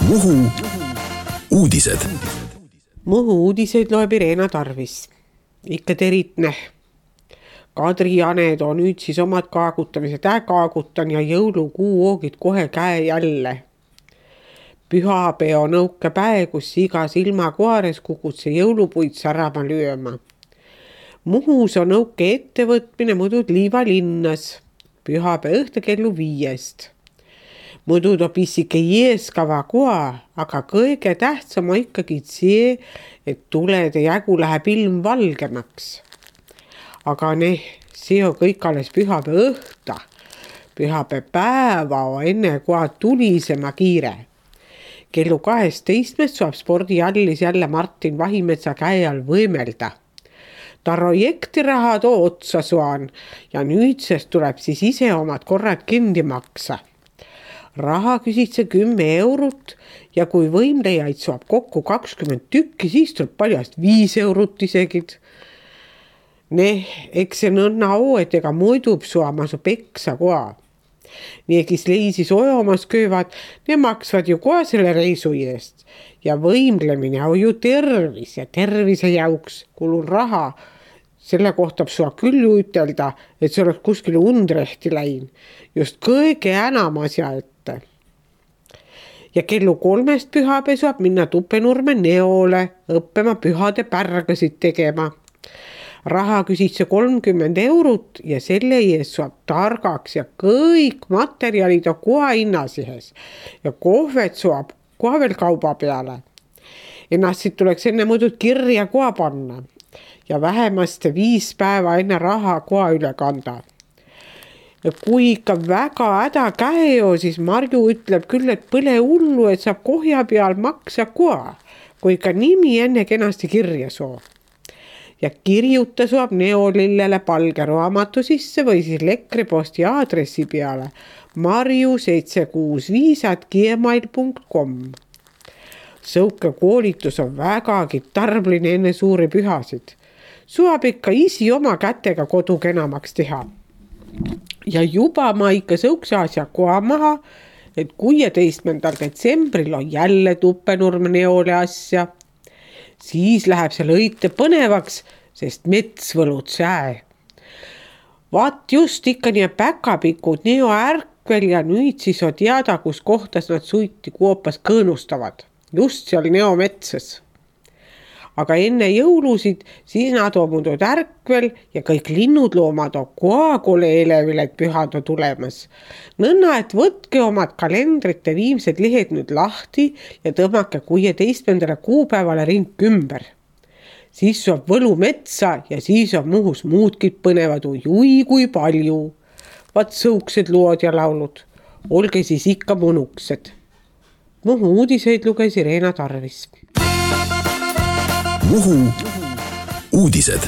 Muhu uudised. Muhu uudiseid loeb Irena Tarvis. Ikka teritne. Kadri-Janed on nüüd siis omad kaagutamised kaagutan ja jõulukuu oogid kohe käe jälle. Pühapeo nõuke päe, kus igas ilmakoares kukut see jõulupuid särama lööma. Muhus on nõuke ettevõtmine muidud Liivalinnas. Pühapeo õhtu kellu 5. Muidu toob isike jeeskava koa, aga kõige tähtsam on ikkagi see, et tulede jagu läheb ilm valgemaks. Aga see on kõik alles pühapeo õhta. Pühapeo päeva on enne koa tulisema kiire. Kellu 12 saab spordihallis jälle Martin Vahimetsa käe all võimelda. Ta projektiraha too otsa suan ja nüüdsest tuleb siis ise omad korrad kinni maksa. Raha küsid see 10 eurot ja kui võimlejaid saab kokku 20 tükki, siis tuleb paljast 5 eurot isegi. Eks see nõnna oo, et ega muidub suama su peksa koa. Nii, kes leisis ojomas köövad, ne maksvad ju koa selle reisu eest. Ja võimlemine on ju tervis ja tervise jauks kulun raha. Selle kohta sua küll ütelda, et see oleks kuskil undrehti läin. Just kõige enam asja ette. Ja kellu 3 pühapea saab minna Tuppenurme Neole õppima pühade pärgasid tegema. Raha küsid see 30 eurot ja selle eest saab targaks ja kõik materjalid on koha hinnasihes. Ja kohvet saab koha veel kauba peale. Ennast siit tuleks enne muidu kirja koha panna. Ja vähemasti 5 päeva enne raha koha üle kanda. Ja kui ikka väga häda käeo, siis Marju ütleb küll, et põle hullu, et saab kohja peal maksa koha, kui ikka nimi enne kenasti kirja soo. Ja kirjuta saab Neolillele palge raamatu sisse või siis Lekriposti aadressi peale marju765@gmail.com. Sõuke koolitus on vägagi tarbline enne suuri pühasid. Suab ikka isi oma kätega kodu kenamaks teha. Ja juba ma ikka sõukse asja koha maha, et 16. detsembril on jälle Tuppenurme Neole asja. Siis läheb see lõite põnevaks, sest mets võlud sää. Vaat just ikka nii päkapikud Neo ärkvel ja nüüd siis on teada, kus kohtas nad suiti kuopas kõõnustavad. Just seal Neo metsas. Aga enne jõulusid siis nad on muudud ärkvel ja kõik linnud loomad on koagole elevil, et pühad on tulemas. Nõnna, et võtke omad kalendrite viimsed lehed nüüd lahti ja tõmmake 16. kuupäevale ring ümber. Siis saab võlu metsa ja siis on Muhus muudki põnevad ujui kui palju. Vaat sõuksed lood ja laulud. Olge siis ikka mõnuksed. Muhu uudiseid luges Irena Tarvis. Muhu uudised.